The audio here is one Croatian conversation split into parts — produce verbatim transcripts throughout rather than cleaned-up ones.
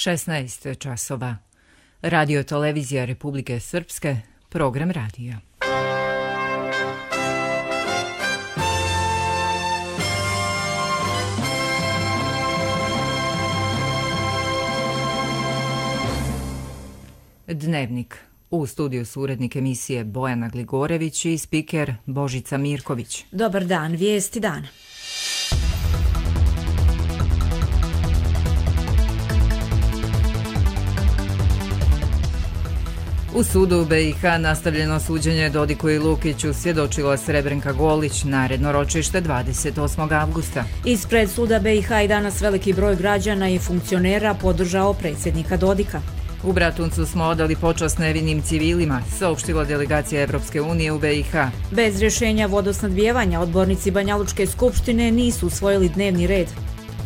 šesnaest časova. Radio televizija Republike Srpske, program radija. Dnevnik. U studiju su urednik emisije Bojana Gligorević i spiker Božica Mirković. Dobar dan, vijesti dana. U sudu u B i H nastavljeno suđenje Dodiku i Lukiću, svjedočila Srebrenka Golić, naredno ročište dvadeset osmog avgusta. Ispred suda B i H i danas veliki broj građana i funkcionera podržao predsjednika Dodika. U Bratuncu smo odali počast nevinim civilima, saopštila delegacija Evropske unije u B i H. Bez rješenja vodosnadbijevanja odbornici Banjalučke skupštine nisu usvojili dnevni red.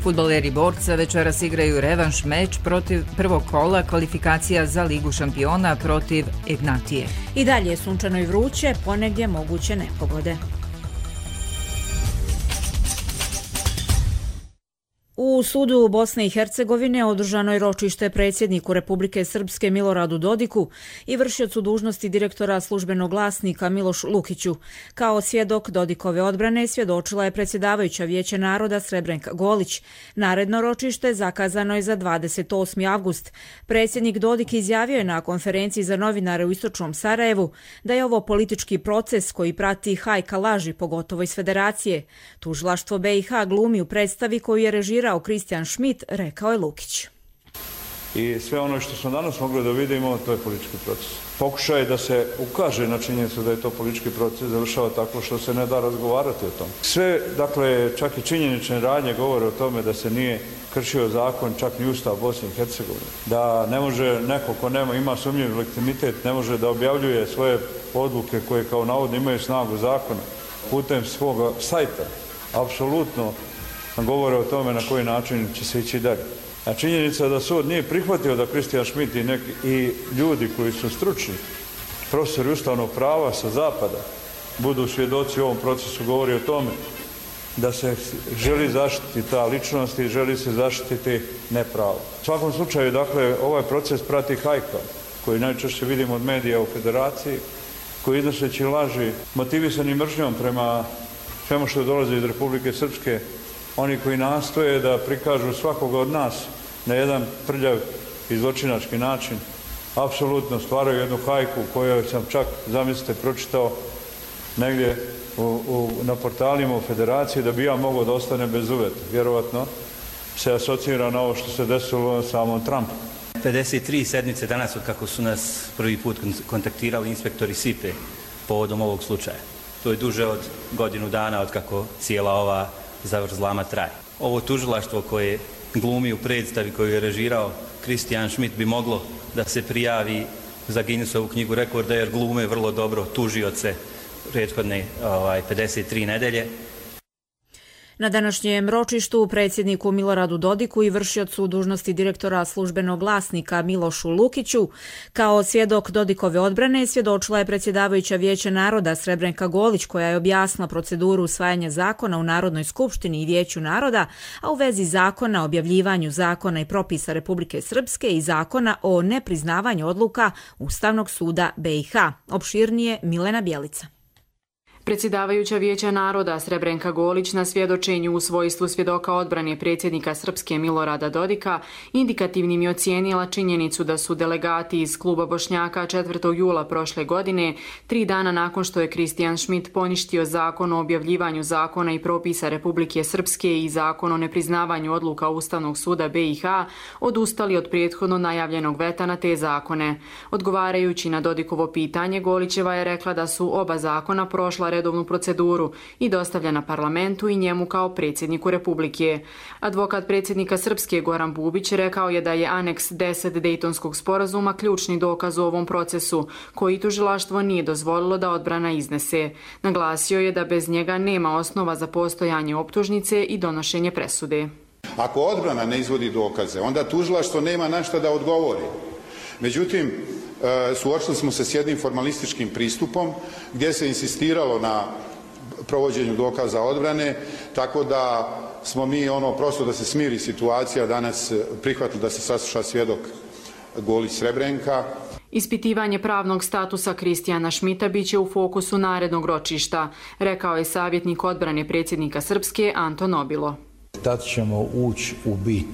Fudbaleri Borca večeras igraju revanš meč protiv prvog kola kvalifikacija za Ligu šampiona protiv Ignatije. I dalje je sunčano i vruće, ponegdje moguće nepogode. U sudu Bosne i Hercegovine održano je ročište predsjedniku Republike Srpske Miloradu Dodiku i vršiocu dužnosti direktora službenog glasnika Milošu Lukiću. Kao svjedok Dodikove odbrane svjedočila je predsjedavajuća Vijeća naroda Srebrenka Golić. Naredno ročište zakazano je za dvadeset osmi avgust. Predsjednik Dodik izjavio je na konferenciji za novinare u Istočnom Sarajevu da je ovo politički proces koji prati hajka laži, pogotovo iz Federacije. Tužilaštvo B i H glumi u predstavi koju je režirao Kristijan Šmit, rekao je Lukić. I sve ono što smo danas mogli da vidimo, to je politički proces. Pokušaj da se ukaže na činjenicu da je to politički proces završava tako što se ne da razgovarati o tom. Sve, dakle, čak i činjenične radnje govore o tome da se nije kršio zakon, čak ni Ustav Bosne i Hercegovine. Da ne može neko ko nema, ima sumnjiv legitimitet, ne može da objavljuje svoje odluke koje kao navodno imaju snagu zakona putem svog sajta. Apsolutno govore o tome na koji način će se ići dalje. A činjenica da sud nije prihvatio da Kristijan Šmit i, neki, i ljudi koji su stručni, profesori ustavnog prava sa zapada, budu svjedoci u ovom procesu, govori o tome da se želi zaštiti ta ličnost i želi se zaštititi nepravo. U svakom slučaju, dakle, ovaj proces prati hajka, koji najčešće vidimo od medija u Federaciji, koji iznoseći laži, motivisani mržnjom prema svemu što dolazi iz Republike Srpske, oni koji nastoje da prikažu svakoga od nas na jedan prljav i zločinački način, apsolutno stvaraju jednu hajku koju sam čak, zamislite, pročitao negdje u, u, na portalima u Federaciji da bi ja mogao da ostane bez uveta. Vjerovatno se asocira na ovo što se desilo samom Trumpu. pedeset tri sedmice danas od kako su nas prvi put kontaktirali inspektori S I P E povodom ovog slučaja. To je duže od godinu dana od kako cijela ova zavrzlama traje. Ovo tužilaštvo koje glumi u predstavi koju je režirao Kristijan Šmit bi moglo da se prijavi za Guinnessovu knjigu rekorda jer glume vrlo dobro tužioce prethodne ovaj, pedeset tri nedelje. Na današnjem ročištu predsjedniku Miloradu Dodiku i vršiocu dužnosti direktora službenog glasnika Milošu Lukiću kao svjedok Dodikove odbrane svjedočila je predsjedavajuća Vijeća naroda Srebrenka Golić koja je objasnila proceduru usvajanja zakona u Narodnoj skupštini i Vijeću naroda, a u vezi zakona o objavljivanju zakona i propisa Republike Srpske i zakona o nepriznavanju odluka Ustavnog suda B i H. Opširnije Milena Bjelica. Predsjedavajuća Vijeća naroda Srebrenka Golić na svjedočenju u svojstvu svjedoka odbrane predsjednika Srpske Milorada Dodika indikativnim je ocijenila činjenicu da su delegati iz kluba Bošnjaka četvrtog jula prošle godine, tri dana nakon što je Kristijan Šmit poništio zakon o objavljivanju zakona i propisa Republike Srpske i zakon o nepriznavanju odluka Ustavnog suda B i H, odustali od prethodno najavljenog veta na te zakone. Odgovarajući na Dodikovo pitanje, Golićeva je rekla da su oba zakona prošla redovnu proceduru i dostavljena parlamentu i njemu kao predsjedniku Republike. Advokat predsjednika Srpske Goran Bubić rekao je da je aneks deset Dejtonskog sporazuma ključni dokaz u ovom procesu, koji tužilaštvo nije dozvolilo da odbrana iznese. Naglasio je da bez njega nema osnova za postojanje optužnice i donošenje presude. Ako odbrana ne izvodi dokaze, onda tužilaštvo nema na šta da odgovori. Međutim, suočili smo se s jednim formalističkim pristupom gdje se insistiralo na provođenju dokaza odbrane, tako da smo mi ono prosto da se smiri situacija danas prihvatili da se sasluša svjedok Golić Srebrenka. Ispitivanje pravnog statusa Kristijana Šmita biće u fokusu narednog ročišta, rekao je savjetnik odbrane predsjednika Srpske Anton Obilo. Tad ćemo ući u bit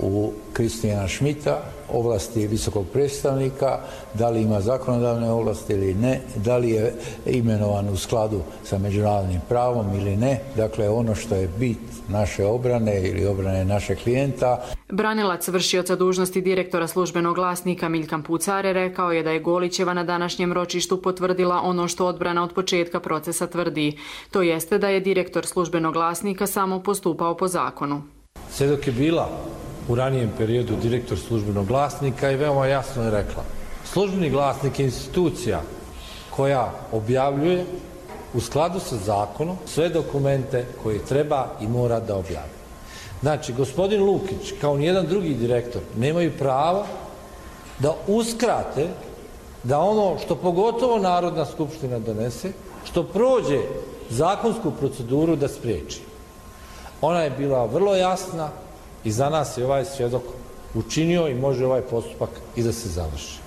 u Kristijana Šmita, ovlasti visokog predstavnika, da li ima zakonodavne ovlasti ili ne, da li je imenovan u skladu sa međunarodnim pravom ili ne. Dakle, ono što je bit naše obrane ili obrane našeg klijenta. Branilac vršioca dužnosti direktora službenog glasnika Miljkan Pucare rekao je da je Golićeva na današnjem ročištu potvrdila ono što odbrana od početka procesa tvrdi. To jeste da je direktor službenog glasnika samo postupao po zakonu. Sve dok je bila u ranijem periodu direktor službenog glasnika i veoma jasno je rekla: službeni glasnik je institucija koja objavljuje u skladu sa zakonom sve dokumente koje treba i mora da objavi. Znači, gospodin Lukić, kao nijedan drugi direktor, nemaju prava da uskrate da ono što pogotovo Narodna skupština donese, što prođe zakonsku proceduru, da spriječi. Ona je bila vrlo jasna i za nas je ovaj svjedok učinio i može ovaj postupak i da se završi.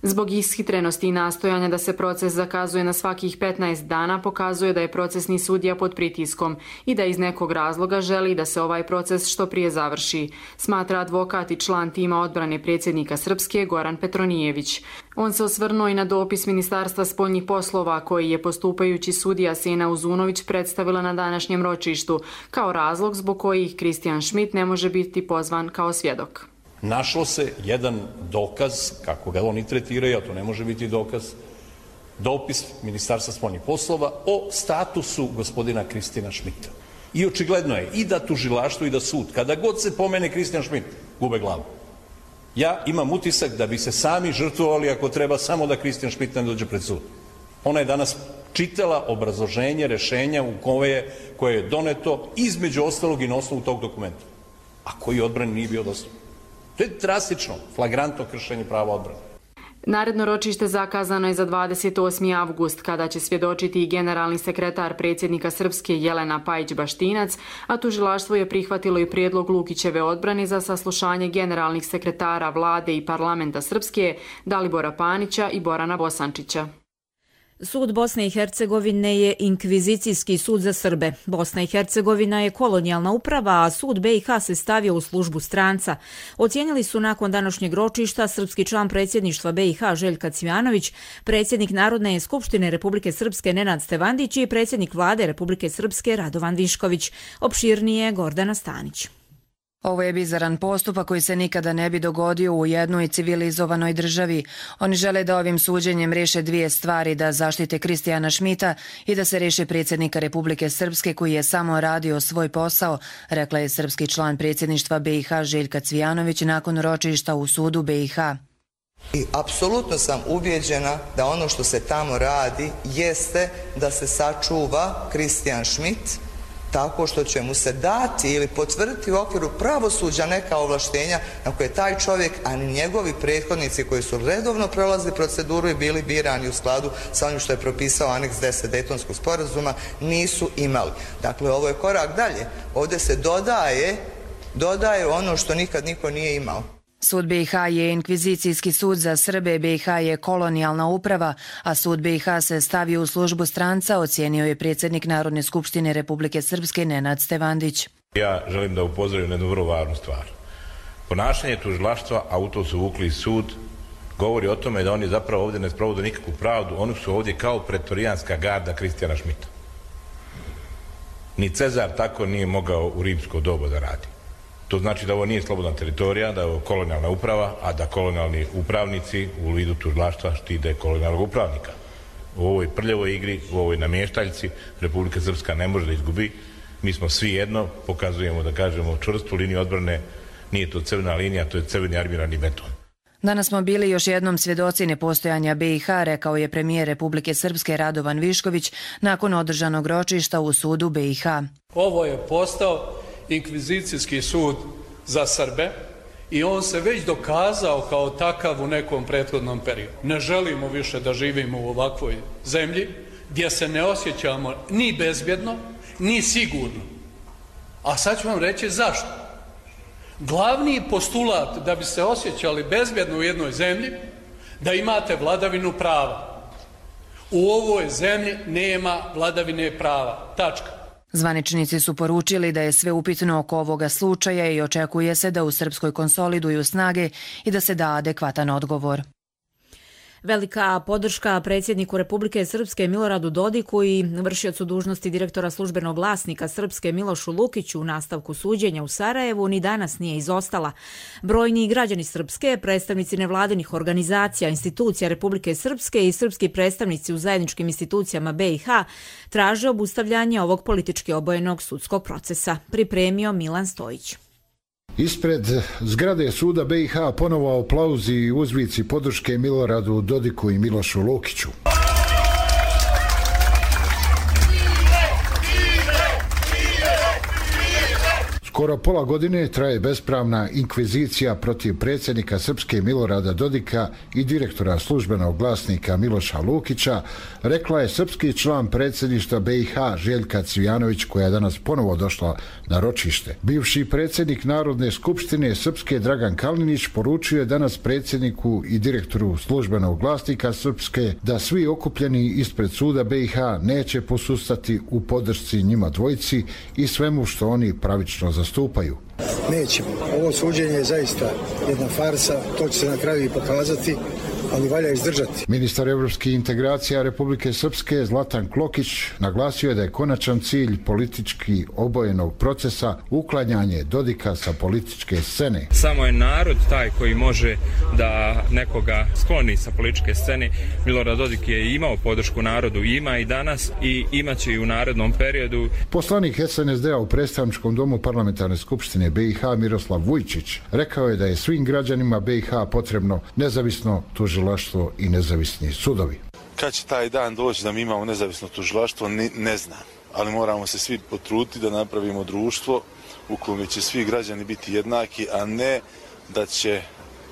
Zbog ishitrenosti i nastojanja da se proces zakazuje na svakih petnaest dana pokazuje da je procesni sudija pod pritiskom i da iz nekog razloga želi da se ovaj proces što prije završi, smatra advokat i član tima odbrane predsjednika Srpske Goran Petronijević. On se osvrnuo i na dopis Ministarstva spoljnih poslova koji je postupajući sudija Sena Uzunović predstavila na današnjem ročištu kao razlog zbog kojih Kristijan Šmit ne može biti pozvan kao svjedok. Našlo se jedan dokaz, kako ga oni tretiraju, a to ne može biti dokaz, dopis Ministarstva spoljnih poslova o statusu gospodina Kristijana Šmita. I očigledno je i da tužilaštvo i da sud, kada god se pomene Kristijan Šmit, gube glavu. Ja imam utisak da bi se sami žrtvovali ako treba samo da Kristijan Šmit ne dođe pred sud. Ona je danas čitala obrazloženje rešenja u koje, koje je doneto između ostalog i na osnovu tog dokumenta, a koji odbrani nije bio dostupan. To je drastično, flagrantno kršenje prava odbrane. Naredno ročište zakazano je za dvadeset osmi avgust, kada će svjedočiti i generalni sekretar predsjednika Srpske Jelena Pajić-Baštinac, a tužilaštvo je prihvatilo i prijedlog Lukićeve odbrane za saslušanje generalnih sekretara vlade i parlamenta Srpske Dalibora Panića i Borana Bosančića. Sud Bosne i Hercegovine je inkvizicijski sud za Srbe. Bosna i Hercegovina je kolonijalna uprava, a sud B i H se stavio u službu stranca. Ocijenili su nakon današnjeg ročišta srpski član predsjedništva B i H Željka Cvijanović, predsjednik Narodne skupštine Republike Srpske Nenad Stevandić i predsjednik vlade Republike Srpske Radovan Višković. Opširnije Gordana Stanić. Ovo je bizaran postupak koji se nikada ne bi dogodio u jednoj civilizovanoj državi. Oni žele da ovim suđenjem riješe dvije stvari, da zaštite Kristijana Šmita i da se riješe predsjednika Republike Srpske koji je samo radio svoj posao, rekla je srpski član predsjedništva B i H Željka Cvijanović nakon ročišta u sudu B i H. I apsolutno sam ubijeđena da ono što se tamo radi jeste da se sačuva Kristijan Šmit tako što će mu se dati ili potvrditi u okviru pravosuđa neka ovlaštenja na koje taj čovjek, a ni njegovi prethodnici koji su redovno prolazili proceduru i bili birani u skladu sa onim što je propisao aneks deset Dejtonskog sporazuma, nisu imali. Dakle, ovo je korak dalje. Ovdje se dodaje, dodaje ono što nikad niko nije imao. Sud B i H je inkvizicijski sud za Srbe, B i H je kolonijalna uprava, a sud B i H se stavio u službu stranca, ocijenio je predsjednik Narodne skupštine Republike Srpske Nenad Stevandić. Ja želim da upozorim na jednu vrlo važnu stvar. Ponašanje tužilaštva, a u to su uvukli sud, govori o tome da oni zapravo ovdje ne sprovode nikakvu pravdu, oni su ovdje kao pretorijanska garda Kristijana Šmita. Ni Cezar tako nije mogao u rimsko doba da radi. To znači da ovo nije slobodna teritorija, da je ovo kolonijalna uprava, a da kolonijalni upravnici u vidu tužilaštva štite kolonijalnog upravnika. U ovoj prljavoj igri, u ovoj namještaljci, Republika Srpska ne može da izgubi. Mi smo svi jedno, pokazujemo da kažemo čvrstu liniju odbrane, nije to crvena linija, to je crveni armirani beton. Danas smo bili još jednom svjedoci nepostojanja B i H, rekao je premijer Republike Srpske Radovan Višković nakon održanog ročišta u sudu B i H. Ovo je postao inkvizicijski sud za Srbe i on se već dokazao kao takav u nekom prethodnom periodu. Ne želimo više da živimo u ovakvoj zemlji gdje se ne osjećamo ni bezbjedno, ni sigurno. A sad ću vam reći zašto. Glavni postulat da bi se osjećali bezbjedno u jednoj zemlji, da imate vladavinu prava. U ovoj zemlji nema vladavine prava. Tačka. Zvaničnici su poručili da je sve upitno oko ovoga slučaja i očekuje se da u Srpskoj konsoliduju snage i da se da adekvatan odgovor. Velika podrška predsjedniku Republike Srpske Miloradu Dodiku i vršiocu dužnosti direktora službenog glasnika Srpske Milošu Lukiću u nastavku suđenja u Sarajevu ni danas nije izostala. Brojni građani Srpske, predstavnici nevladinih organizacija, institucija Republike Srpske i srpski predstavnici u zajedničkim institucijama B i H traže obustavljanje ovog politički obojenog sudskog procesa. Pripremio Milan Stojić. Ispred zgrade suda B i H ponovo aplauzi i uzvici podrške Miloradu Dodiku i Milošu Lukiću. Skoro pola godine traje bespravna inkvizicija protiv predsjednika Srpske Milorada Dodika i direktora službenog glasnika Miloša Lukića, rekla je srpski član predsjedništva B i H Željka Cvijanović, koja je danas ponovo došla na ročište. Bivši predsjednik Narodne skupštine Srpske Dragan Kalinić poručio je danas predsjedniku i direktoru službenog glasnika Srpske da svi okupljeni ispred suda B i H neće posustati u podršci njima dvojici i svemu što oni pravično zastupaju. Nećemo. Ovo suđenje je zaista jedna farsa, to će se na kraju i pokazati, ali valja izdržati. Ministar evropskih integracija Republike Srpske Zlatan Klokić naglasio je da je konačan cilj politički obojenog procesa uklanjanje Dodika sa političke scene. Samo je narod taj koji može da nekoga skloni sa političke scene. Milorad Dodik je imao podršku narodu, ima i danas i imaće i u narednom periodu. Poslanik S N S D-a u predstavničkom domu parlamentarne skupštine B i H Miroslav Vujčić rekao je da je svim građanima B i H potrebno nezavisno tužilaštvo i nezavisni sudovi. Kad će taj dan doći da mi imamo nezavisno tužilaštvo, ne, ne znam. Ali moramo se svi potruditi da napravimo društvo u kojem će svi građani biti jednaki, a ne da će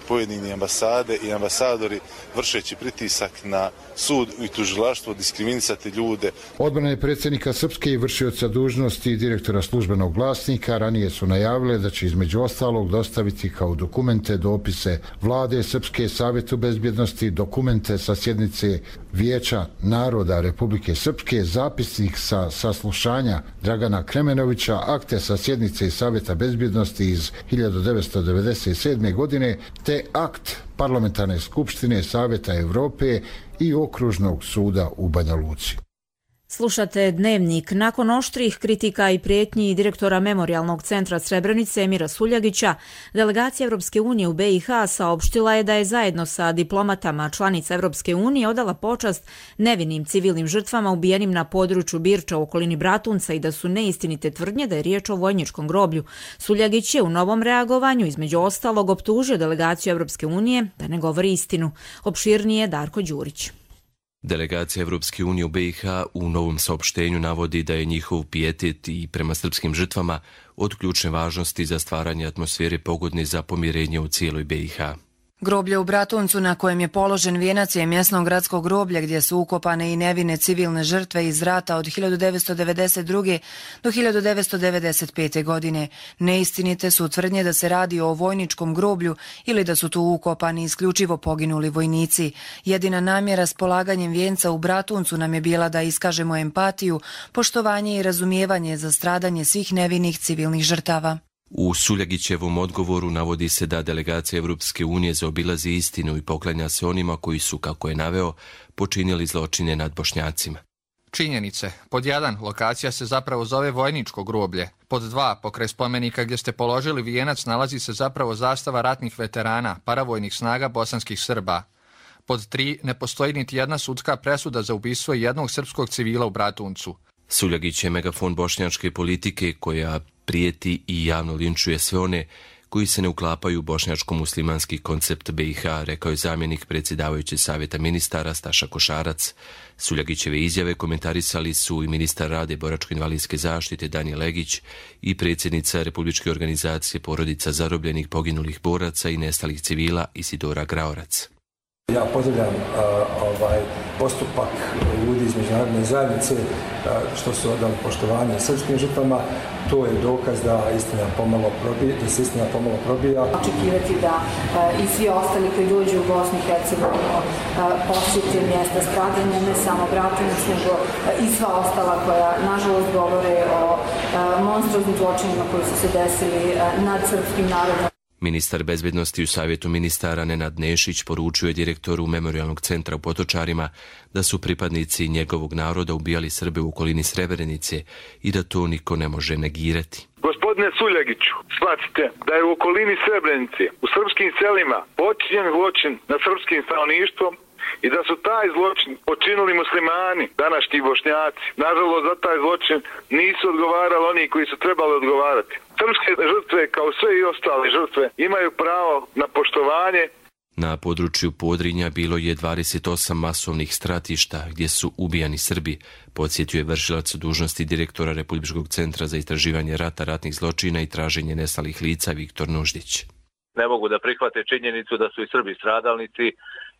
pojedini ambasade i ambasadori vršeći pritisak na sud i tužilaštvo diskriminisati ljude. Odbrane predsjednika Srpske i vršioca dužnosti direktora službenog glasnika ranije su najavile da će između ostalog dostaviti kao dokumente dopise Vlade Srpske, Savjetu bezbjednosti, dokumente sa sjednice Vijeća naroda Republike Srpske, zapisnik sa saslušanja Dragana Kremenovića, akte sa sjednice Savjeta bezbjednosti iz hiljadu devetsto devedeset sedme. godine, te akt Parlamentarne skupštine Savjeta Evrope i Okružnog suda u Banja Luci. Slušate Dnevnik. Nakon oštrih kritika i prijetnji direktora Memorijalnog centra Srebrenice Emira Suljagića, delegacija Evropske unije u B i H saopštila je da je zajedno sa diplomatama članica Evropske unije odala počast nevinim civilnim žrtvama ubijenim na području Birča u okolini Bratunca i da su neistinite tvrdnje da je riječ o vojničkom groblju. Suljagić je u novom reagovanju između ostalog optužio delegaciju Evropske unije da ne govori istinu. Opširnije Darko Đurić. Delegacija Evropske unije u B i H u novom saopštenju navodi da je njihov pijetet i prema srpskim žrtvama od ključne važnosti za stvaranje atmosfere pogodne za pomirenje u cijeloj B i H. Groblje u Bratuncu na kojem je položen vijenac je mjesno gradsko groblje gdje su ukopane i nevine civilne žrtve iz rata od hiljadu devetsto devedeset druge. do hiljadu devetsto devedeset pete. godine. Neistinite su tvrdnje da se radi o vojničkom groblju ili da su tu ukopani isključivo poginuli vojnici. Jedina namjera s polaganjem vijenca u Bratuncu nam je bila da iskažemo empatiju, poštovanje i razumijevanje za stradanje svih nevinih civilnih žrtava. U Suljagićevom odgovoru navodi se da delegacija Evropske unije zaobilazi istinu i poklanja se onima koji su, kako je naveo, počinili zločine nad Bošnjacima. Činjenice. Pod jedan, lokacija se zapravo zove vojničko groblje. Pod dva, pokraj spomenika gdje ste položili vijenac nalazi se zapravo zastava ratnih veterana, paravojnih snaga bosanskih Srba. Pod tri, ne postoji niti jedna sudska presuda za ubistvo jednog srpskog civila u Bratuncu. Suljagić je megafon bošnjačke politike koja prijeti i javno linčuje sve one koji se ne uklapaju u bošnjačko-muslimanski koncept B i H, rekao je zamjenik predsjedavajućeg savjeta ministara Staša Košarac. Suljagićeve izjave komentarisali su i ministar rada i boračko-invalidske zaštite Danijel Legić i predsjednica Republičke organizacije porodica zarobljenih poginulih boraca i nestalih civila Isidora Graorac. Ja pozdravljam uh, ovaj postupak ljudi iz međunarodne zajednice uh, što su odali poštovanje srpskim žrtvama. To je dokaz da istina pomalo probija, da se istina pomalo probija. Očekivati da uh, i svi ostali koji dođu u Bosnu i Hercegovinu uh, posjete mjesta stradanja, ne samo Bratunac, nego uh, i sva ostala koja nažalost govore o uh, monstruoznim zločinima koji su se desili uh, nad srpskim narodom. Ministar bezbednosti u Savjetu ministara Nenad Nešić poručio je direktoru Memorijalnog centra u Potočarima da su pripadnici njegovog naroda ubijali Srbe u okolini Srebrenice i da to niko ne može negirati. Gospodine Suljagiću, shvatite da je u okolini Srebrenice, u srpskim selima, počinjen zločin nad srpskim stanovništvom i da su taj zločin počinili muslimani, današnji Bošnjaci. Nažalost, za taj zločin nisu odgovarali oni koji su trebali odgovarati. Srpske žrtve, kao sve i ostale žrtve, imaju pravo na poštovanje. Na području Podrinja bilo je dvadeset osam masovnih stratišta gdje su ubijani Srbi, podsjetio je vršilac dužnosti direktora Republičkog centra za istraživanje rata, ratnih zločina i traženje nestalih lica Viktor Nuždić. Ne mogu da prihvate činjenicu da su i Srbi stradalnici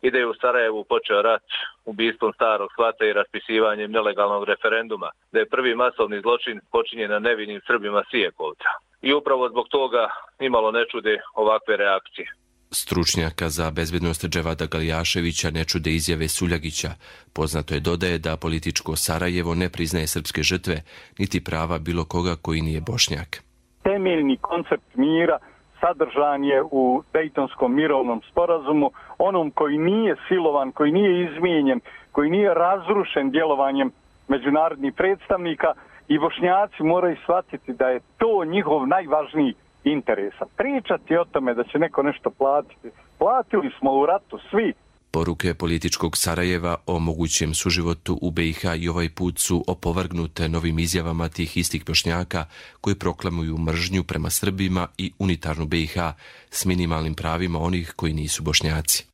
i da je u Sarajevu počeo rat ubistvom starog svata i raspisivanjem nelegalnog referenduma, da je prvi masovni zločin počinjen na nevinim Srbima Sijekovca. I upravo zbog toga nimalo ne čude ovakve reakcije. Stručnjaka za bezbednost Dževada Galijaševića ne čude izjave Suljagića. Poznato je, dodaje, da političko Sarajevo ne priznaje srpske žrtve, niti prava bilo koga koji nije Bošnjak. Temeljni koncept mira sadržan je u Dejtonskom mirovnom sporazumu, onom koji nije silovan, koji nije izmijenjen, koji nije razrušen djelovanjem međunarodnih predstavnika, i Bošnjaci moraju shvatiti da je to njihov najvažniji interes. Pričati o tome da će neko nešto platiti. Platili smo u ratu svi. Poruke političkog Sarajeva o mogućem suživotu u be i ha i ovaj put su opovrgnute novim izjavama tih istih Bošnjaka koji proklamuju mržnju prema Srbima i unitarnu be i ha s minimalnim pravima onih koji nisu Bošnjaci.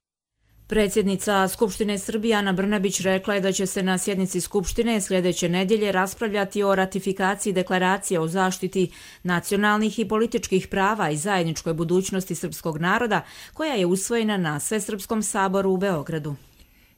Predsjednica Skupštine Srbije Ana Brnabić rekla je da će se na sjednici Skupštine sljedeće nedjelje raspravljati o ratifikaciji deklaracije o zaštiti nacionalnih i političkih prava i zajedničkoj budućnosti srpskog naroda, koja je usvojena na Svesrpskom saboru u Beogradu.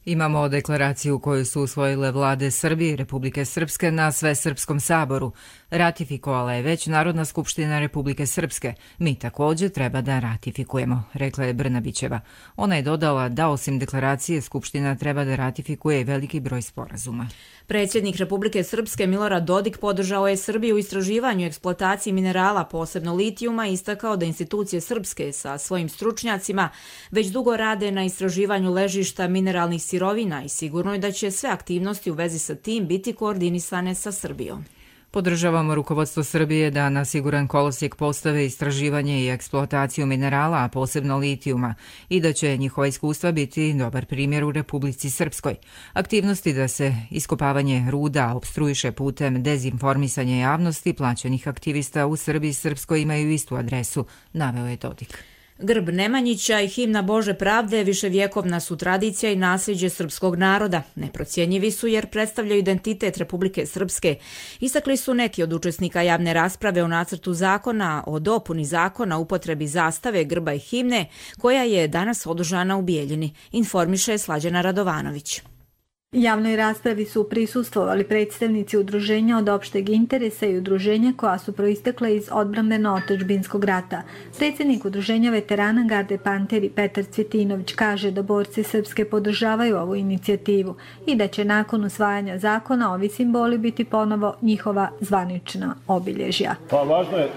Imamo deklaraciju koju su usvojile vlade Srbije i Republike Srpske na Svesrpskom saboru. Ratifikovala je već Narodna skupština Republike Srpske. Mi također treba da ratifikujemo, rekla je Brnabićeva. Ona je dodala da osim deklaracije Skupština treba da ratifikuje i veliki broj sporazuma. Predsjednik Republike Srpske Milorad Dodik podržao je Srbiju u istraživanju i eksploataciji minerala, posebno litijuma, i istakao da institucije srpske sa svojim stručnjacima već dugo rade na istraživanju ležišta mineralnih sirovina i sigurno je da će sve aktivnosti u vezi sa tim biti koordinisane sa Srbijom. Podržavamo rukovodstvo Srbije da na siguran kolosijek postave istraživanje i eksploataciju minerala, a posebno litijuma, i da će njihova iskustva biti dobar primjer u Republici Srpskoj. Aktivnosti da se iskopavanje ruda opstruiše putem dezinformisanja javnosti plaćenih aktivista u Srbiji i Srpskoj imaju istu adresu, naveo je Dodik. Grb Nemanjića i himna Bože pravde viševjekovna su tradicija i nasljeđe srpskog naroda. Neprocjenjivi su jer predstavljaju identitet Republike Srpske. Istakli su neki od učesnika javne rasprave o nacrtu zakona o dopuni zakona o upotrebi zastave, grba i himne, koja je danas održana u Bijeljini, informiše Slađana Radovanović. Javnoj raspravi su prisustvovali predstavnici udruženja od opšteg interesa i udruženja koja su proistekle iz odbrambeno-otadžbinskog rata. Predsjednik udruženja veterana Garde Panteri Petar Cvjetinović kaže da borci srpske podržavaju ovu inicijativu i da će nakon usvajanja zakona ovi simboli biti ponovo njihova zvanična obilježja. Pa važno je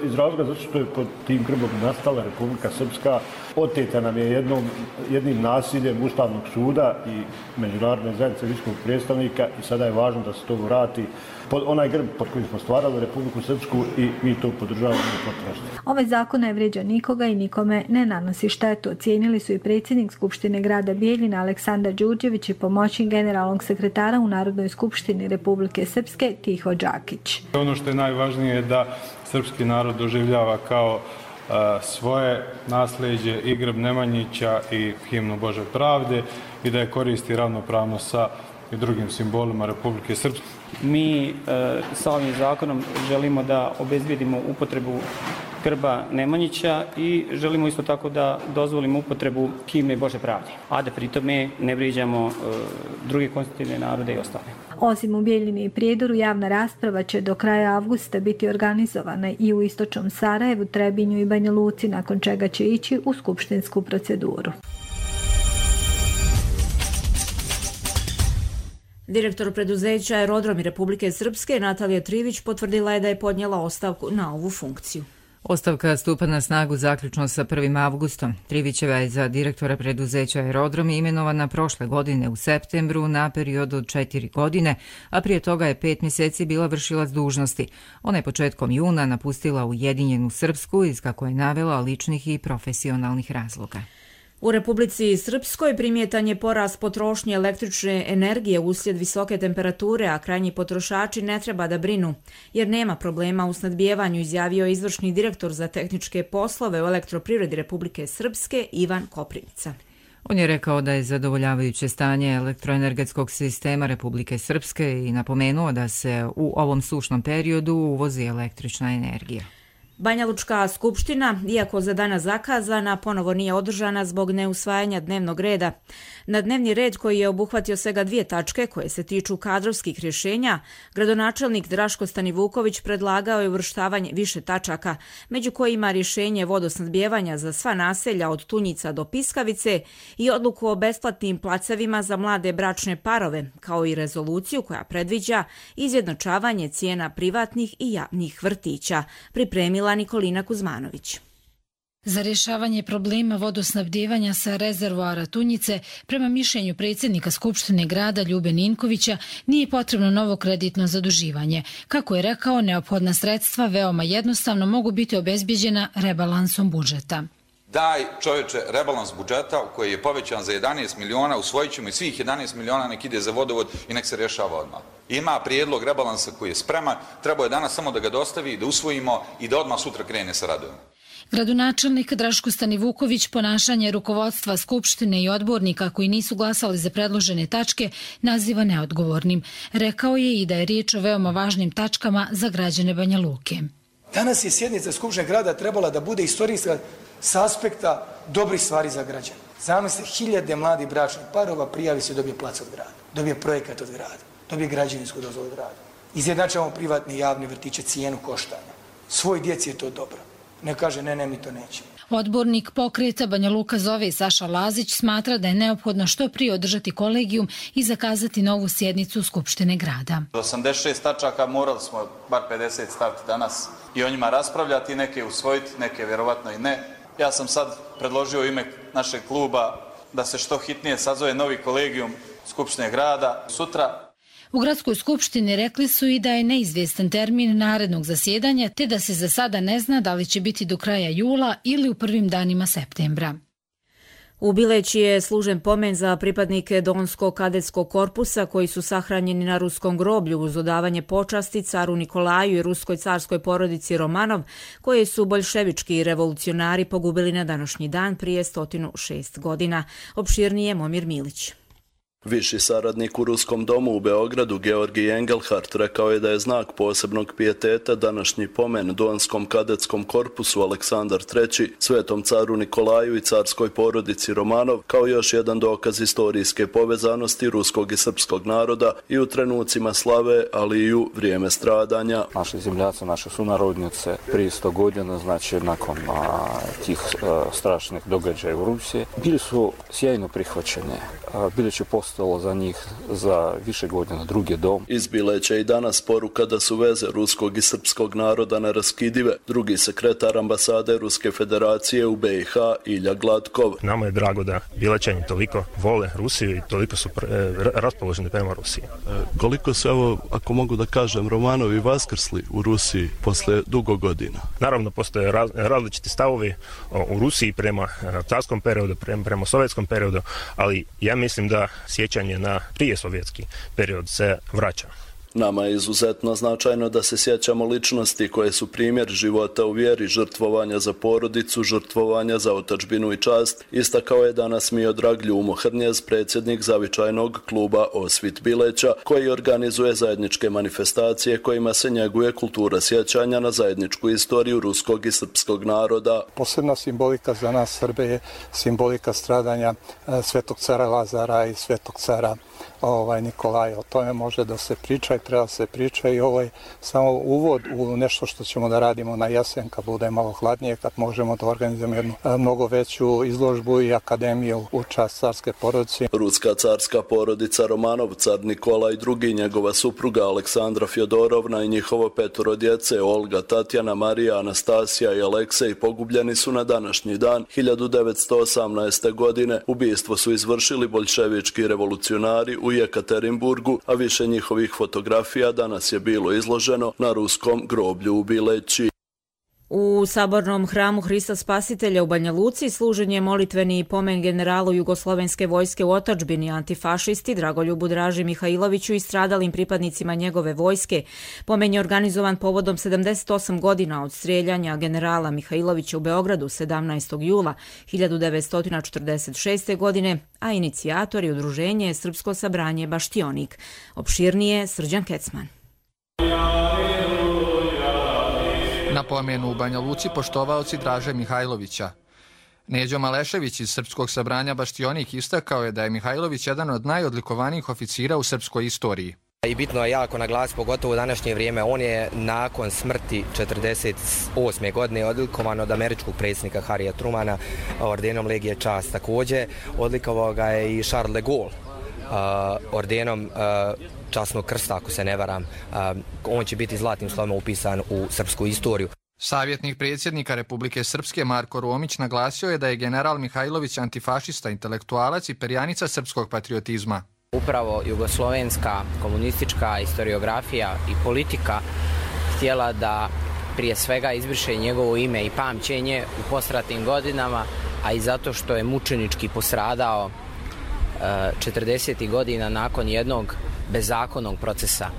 iz razloga zato što je pod tim grbom nastala Republika Srpska. Oteta nam je jednom, jednim nasiljem Ustavnog suda i međunarodne zajednice visokog predstavnika i sada je važno da se to vrati pod onaj grb pod kojim smo stvarali Republiku Srpsku i mi to podržavamo u potpunosti. Ovaj zakon ne vrijeđa nikoga i nikome ne nanosi štetu. Ocijenili su i predsjednik Skupštine grada Bijeljina Aleksandar Đurđević i pomoćnik generalnog sekretara u Narodnoj skupštini Republike Srpske Tiho Đakić. Ono što je najvažnije je da srpski narod doživljava kao svoje nasljeđe i grb Nemanjića i himnu Bože pravde i da je koristi ravnopravno sa i drugim simbolima Republike Srpske. Mi e, sa ovim zakonom želimo da obezbijedimo upotrebu grba Nemanjića i želimo isto tako da dozvolimo upotrebu himne Bože pravde, a da pritome ne vrijeđamo druge konstitutivne narode i ostale. Osim u Bijeljini i Prijedoru, javna rasprava će do kraja avgusta biti organizovana i u istočnom Sarajevu, Trebinju i Banja Luci, nakon čega će ići u skupštinsku proceduru. Direktor preduzeća Aerodromi Republike Srpske Natalija Trivić potvrdila je da je podnijela ostavku na ovu funkciju. Ostavka stupa na snagu zaključno sa prvim avgustom. Trivićeva je za direktora preduzeća Aerodromi imenovana prošle godine u septembru na period od četiri godine, a prije toga je pet mjeseci bila vršilac dužnosti. Ona je početkom juna napustila Ujedinjenu Srpsku iz, kako je navela, ličnih i profesionalnih razloga. U Republici Srpskoj primjetan je porast potrošnje električne energije uslijed visoke temperature, a krajnji potrošači ne treba da brinu, jer nema problema u snadbijevanju, izjavio izvršni direktor za tehničke poslove u Elektroprivredi Republike Srpske Ivan Koprivica. On je rekao da je zadovoljavajuće stanje elektroenergetskog sistema Republike Srpske i napomenuo da se u ovom sušnom periodu uvozi električna energija. Banjalučka skupština, iako za danas zakazana, ponovo nije održana zbog neusvajanja dnevnog reda. Na dnevni red, koji je obuhvatio svega dvije tačke koje se tiču kadrovskih rješenja, gradonačelnik Draško Stanivuković predlagao je uvrštavanje više tačaka, među kojima rješenje vodosnadbijevanja za sva naselja od Tunjica do Piskavice i odluku o besplatnim placevima za mlade bračne parove, kao i rezoluciju koja predviđa izjednačavanje cijena privatnih i javnih vrtića, pripremila Nikolina Kuzmanović. Za rješavanje problema vodosnabdijevanja sa rezervoara Tunjice, prema mišljenju predsjednika Skupštine grada Ljube Ninkovića, nije potrebno novo kreditno zaduživanje. Kako je rekao, neophodna sredstva veoma jednostavno mogu biti obezbijeđena rebalansom budžeta. Daj čovječe rebalans budžeta koji je povećan za jedanaest miliona, usvojit ćemo i svih jedanaest miliona nek ide za vodovod i nek se rješava odmah. Ima prijedlog rebalansa koji je spreman, treba je danas samo da ga dostavi, da usvojimo i da odmah sutra krene sa radom. Gradonačelnik Draško Stanivuković ponašanje rukovodstva Skupštine i odbornika koji nisu glasali za predložene tačke naziva neodgovornim. Rekao je i da je riječ o veoma važnim tačkama za građane Banja Luke. Danas je sjednica Skupštine grada trebala da bude istorijska s aspekta dobrih stvari za građane. Zamislite, hiljade mladih bračnih parova prijavi se, dobije plac od grada, dobije projekat od grada, dobije građevinsku dozvolu od grada. Izjednačavamo privatne i javne vrtiće, cijenu koštanja. Svoj djeci je to dobro. Ne kaže ne, ne, mi to nećemo. Odbornik pokreta Banja Luka zove Saša Lazić smatra da je neophodno što prije održati kolegijum i zakazati novu sjednicu Skupštine grada. osamdeset šest tačaka morali smo bar pedeset staviti danas i o njima raspravljati, neke usvojiti, neke vjerovatno i ne. Ja sam sad predložio u ime našeg kluba da se što hitnije sazove novi kolegijum Skupštine grada sutra. U gradskoj skupštini rekli su i da je neizvjestan termin narednog zasjedanja, te da se za sada ne zna da li će biti do kraja jula ili u prvim danima septembra. U Bileći je služen pomen za pripadnike Donskog kadetskog korpusa koji su sahranjeni na ruskom groblju uz odavanje počasti caru Nikolaju i ruskoj carskoj porodici Romanov, koje su boljševički revolucionari pogubili na današnji dan prije sto šest godina. Opširnije Momir Milić. Viši saradnik u Ruskom domu u Beogradu Georgij Engelhardt rekao je da je znak posebnog pijeteta današnji pomen Donskom kadetskom korpusu Aleksandar treći, svetom caru Nikolaju i carskoj porodici Romanov, kao još jedan dokaz istorijske povezanosti ruskog i srpskog naroda i u trenucima slave, ali i u vrijeme stradanja. Naši zemljaci, naše sunarodnice prije sto godina, znači nakon a, tih a, strašnih događaja u Rusiji, bili su sjajno prihvaćeni, a, bili će postali za njih za više godina drugi dom. Iz Bileća i danas poruka da su veze ruskog i srpskog naroda neraskidive. Drugi sekretar ambasade Ruske federacije u B i H Ilja Gladkov. Nama je drago da Bilećani toliko vole Rusiju i toliko su raspoloženi prema Rusiji. E, koliko su, evo, ako mogu da kažem, Romanovi vaskrsli u Rusiji posle dugo godina? Naravno, postoje raz, različiti stavovi u Rusiji prema carskom periodu, prema, prema sovjetskom periodu, ali ja mislim da sjećanje na prije sovjetski period se vraća. Nama je izuzetno značajno da se sjećamo ličnosti koje su primjer života u vjeri, žrtvovanja za porodicu, žrtvovanja za otadžbinu i čast, istakao je danas Miodrag Ljumo Hrnjez, predsjednik zavičajnog kluba Osvit Bileća, koji organizuje zajedničke manifestacije kojima se njeguje kultura sjećanja na zajedničku istoriju ruskog i srpskog naroda. Posebna simbolika za nas Srbe je simbolika stradanja svetog cara Lazara i svetog cara ovaj, Nikolaja. O tome može da se priča i treba se priča i ovo je samo uvod u nešto što ćemo da radimo na jesen kad bude malo hladnije, kad možemo da organizujemo jednu mnogo veću izložbu i akademiju u čast carske porodice. Ruska carska porodica Romanov, car Nikola i drugi, njegova supruga Aleksandra Fjodorovna i njihovo petoro djece Olga, Tatjana, Marija, Anastasija i Aleksej pogubljeni su na današnji dan hiljadu devetsto osamnaeste. godine. Ubijstvo su izvršili boljševički revolucionari u Jekaterinburgu, a više njihovih fotografija danas je bilo izloženo na ruskom groblju u Bileći. U Sabornom hramu Hrista Spasitelja u Banja Luci služen je molitveni pomen generalu Jugoslovenske vojske u otadžbini, antifašisti Dragoljubu Draži Mihajloviću i stradalim pripadnicima njegove vojske. Pomen je organizovan povodom sedamdeset osam godina od strijeljanja generala Mihajlovića u Beogradu sedamnaestog jula hiljadu devetsto četrdeset šeste. godine, a inicijator je udruženje Srpsko sabranje Baštionik. Opširnije Srđan Kecman. Na pomenu u Banja Luci poštovaoci Draže Mihajlovića. Neđo Malešević iz Srpskog sabranja Baštionik istakao je da je Mihajlović jedan od najodlikovanijih oficira u srpskoj istoriji. I bitno je jako naglasiti, pogotovo u današnje vrijeme, on je nakon smrti četrdeset osme. godine odlikovan od američkog predsjednika Harrya Trumana ordenom Legije čast. Također odlikovao ga je i Charles de Gaulle ordenom časnog krsta, ako se ne varam. On će biti zlatnim slovom upisan u srpsku istoriju. Savjetnik predsjednika Republike Srpske Marko Romić naglasio je da je general Mihajlović antifašista, intelektualac i perjanica srpskog patriotizma. Upravo jugoslovenska komunistička historiografija i politika htjela da prije svega izbriše njegovo ime i pamćenje u posratnim godinama, a i zato što je mučenički postradao četrdesetih godina nakon jednog bezakonnog procesa.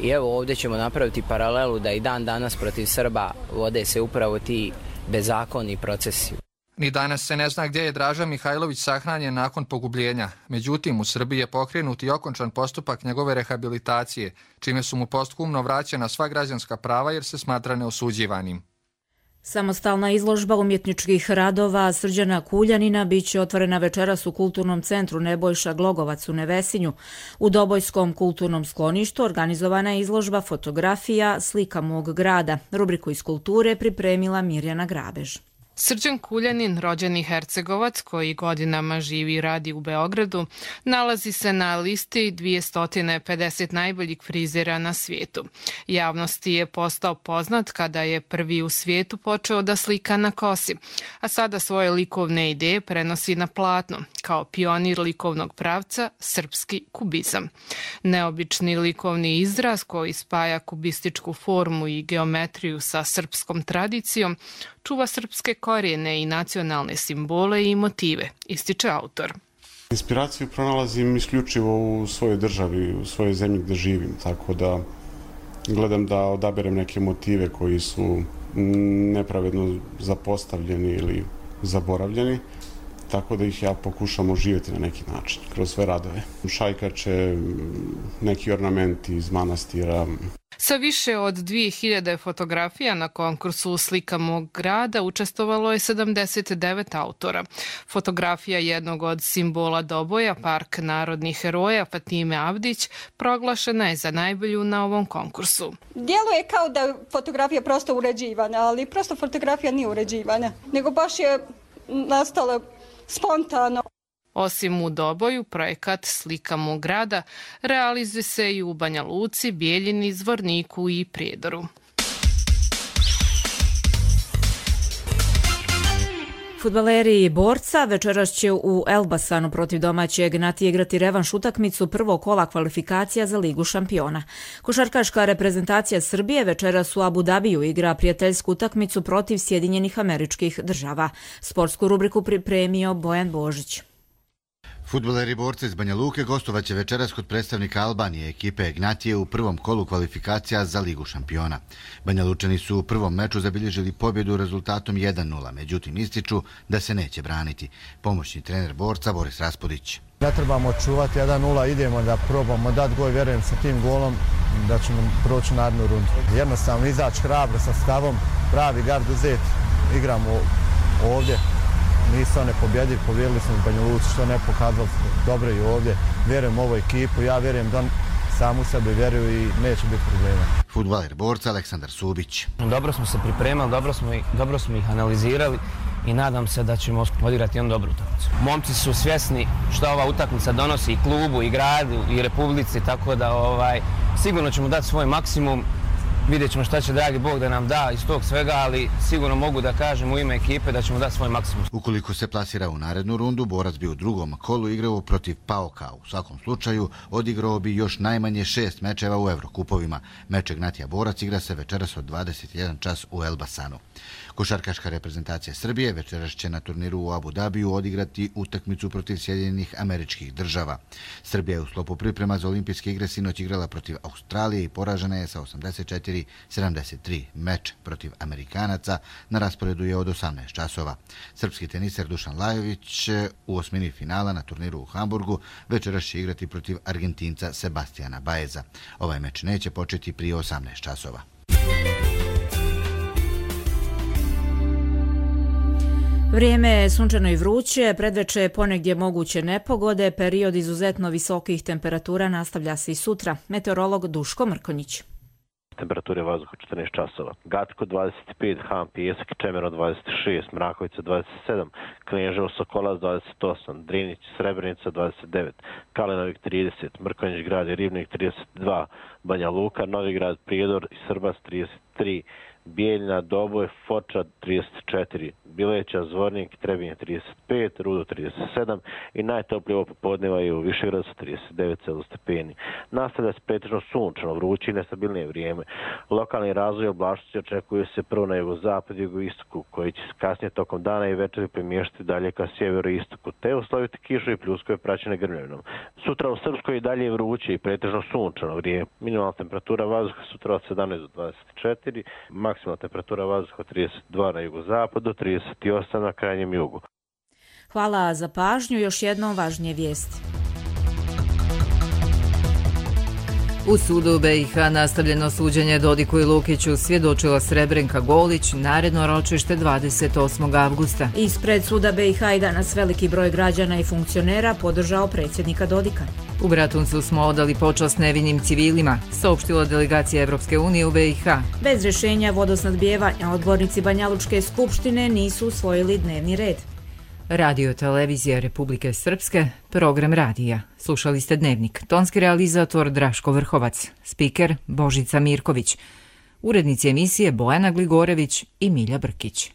I evo ovdje ćemo napraviti paralelu da i dan danas protiv Srba vode se upravo ti bezakonni procesi. Ni danas se ne zna gdje je Draža Mihajlović sahranjen nakon pogubljenja. Međutim, u Srbiji je pokrenut i okončan postupak njegove rehabilitacije, čime su mu posthumno vraćena sva građanska prava jer se smatra neosuđivanim. Samostalna izložba umjetničkih radova Srđana Kuljanina biće otvorena večeras u Kulturnom centru Nebojša Glogovac u Nevesinju. U Dobojskom kulturnom skloništu organizovana je izložba fotografija Slika mog grada. Rubriku iz kulture pripremila Mirjana Grabež. Srđan Kuljanin, rođeni Hercegovac koji godinama živi i radi u Beogradu, nalazi se na listi dvjesto pedeset najboljih frizera na svijetu. Javnosti je postao poznat kada je prvi u svijetu počeo da slika na kosi, a sada svoje likovne ideje prenosi na platno, kao pionir likovnog pravca srpski kubizam. Neobični likovni izraz koji spaja kubističku formu i geometriju sa srpskom tradicijom čuva srpske korijene i nacionalne simbole i motive, ističe autor. Inspiraciju pronalazim isključivo u svojoj državi, u svojoj zemlji gdje živim, tako da gledam da odaberem neke motive koji su nepravedno zapostavljeni ili zaboravljeni, tako da ih ja pokušam oživjeti na neki način, kroz sve radove. Šajkače, neki ornamenti iz manastira. Sa više od dvije hiljade fotografija na konkursu Slika mog grada učestvovalo je sedamdeset devet autora. Fotografija jednog od simbola Doboja, Park narodnih heroja Fatime Avdić, proglašena je za najbolju na ovom konkursu. Djeluje kao da je fotografija prosto uređivana, ali prosto fotografija nije uređivana, nego baš je nastala spontano. Osim u Doboju, projekat Slika mog grada realizuje se i u Banja Luci, Bijeljini, Zvorniku i Prijedoru. Fudbaleri Borca večeras će u Elbasanu protiv domaćeg Gnati igrati revanš utakmicu prvog kola kvalifikacija za Ligu šampiona. Košarkaška reprezentacija Srbije večeras u Abu Dabiju igra prijateljsku utakmicu protiv Sjedinjenih Američkih Država. Sportsku rubriku pripremio Bojan Božić. Fudbaleri borci iz Banja Luke gostovaće večeras kod predstavnika Albanije ekipe Ignatije u prvom kolu kvalifikacija za Ligu šampiona. Banja Lučani su u prvom meču zabilježili pobjedu rezultatom jedan nula, međutim ističu da se neće braniti. Pomoćni trener borca Boris Raspudić. Ne trebamo čuvati jedan nula, idemo da probamo dati gol, vjerujem sa tim golom da ćemo proći narednu rundu. Jednostavno izaći hrabro sa stavom, pravi gard uzeti, igramo ovdje. Nisu one pobjedili, pobjedili smo u Banja Luci, što ne pokazali dobro i ovdje. Vjerujem u ovu ekipu, ja vjerujem da sam u sebe vjeruju i neće biti problema. Fudbaler borca Aleksandar Subić. Dobro smo se pripremali, dobro smo, ih, dobro smo ih analizirali i nadam se da ćemo odigrati jednu dobru utakmicu. Momci su svjesni što ova utakmica donosi i klubu, i gradu, i republici, tako da ovaj, sigurno ćemo dati svoj maksimum. Vidjet ćemo šta će dragi Bog da nam da iz tog svega, ali sigurno mogu da kažem u ime ekipe da ćemo dati svoj maksimum. Ukoliko se plasira u narednu rundu, borac bi u drugom kolu igrao protiv Paoka. U svakom slučaju odigrao bi još najmanje šest mečeva u Evrokupovima. Meč Ignatija borac igra se večeras od dvadeset jedan čas u Elbasanu. Košarkaška reprezentacija Srbije večeras će na turniru u Abu Dabiju odigrati utakmicu protiv Sjedinjenih Američkih Država. Srbija je u sklopu priprema za olimpijske igre sinoć igrala protiv Australije i poražena je sa osamdeset četiri sedamdeset tri. Meč protiv Amerikanaca na rasporedu je od osamnaest časova. Srpski teniser Dušan Lajović u osmini finala na turniru u Hamburgu večeras će igrati protiv Argentinca Sebastijana Baeza. Ovaj meč neće početi prije osamnaest časova. Vrijeme je sunčano i vruće, predveče je ponegdje moguće nepogode, period izuzetno visokih temperatura nastavlja se i sutra. Meteorolog Duško Mrkonjić. Temperature vazduha četrnaest časova. Gatko dvadeset pet, Ham Pijesak, Čemero dvadeset šest, Mrakovica dvadeset sedam, Kneževo Sokolac dvadeset osam, Drinić Srebrenica dvadeset devet, Kalenovik trideset, Mrkonjić grad i Ribnik trideset dva, Banja Luka, Novigrad, Prijedor i Srbac trideset tri, Bijeljna, Doboj, Foča trideset četiri, Bileća, Zvornik, Trebinje trideset pet, Rudo trideset sedam i najtoplije ovo popodneva je u Višegradu sa trideset devet stepeni. Nastavlja se pretežno sunčano, vruće i nestabilnije vrijeme. Lokalni razvoj oblačnosti očekuje se prvo na jugozapad i jugoistoku, koji će se kasnije tokom dana i večeri premještati dalje ka sjeveroistoku, te usloviti kišu i pljuskove praćene grmljavinom. Sutra u Srpskoj i dalje je vruće i pretežno sunčano vrijeme. Minimalna temperatura vazduha sutra od sedamnaest do dvadeset četiri, maksimalna temperatura vazduha trideset dva na jugozapadu, trideset osam na krajnjem jugu. Hvala za pažnju, još jednom važnije vijesti. U sudu B i H nastavljeno suđenje Dodiku i Lukiću, svjedočila Srebrenka Golić, naredno ročište dvadeset osmog avgusta. Ispred suda B i H i danas veliki broj građana i funkcionera podržao predsjednika Dodika. U Bratuncu smo odali počast nevinim civilima, saopštila delegacija Evropske unije u B i H. Bez rješenja vodosnadbijevanja odbornici Banjalučke skupštine nisu usvojili dnevni red. Radio televizija Republike Srpske, program radija. Slušali ste Dnevnik. Tonski realizator Draško Vrhovac, spiker Božica Mirković, urednici emisije Bojana Gligorević i Milja Brkić.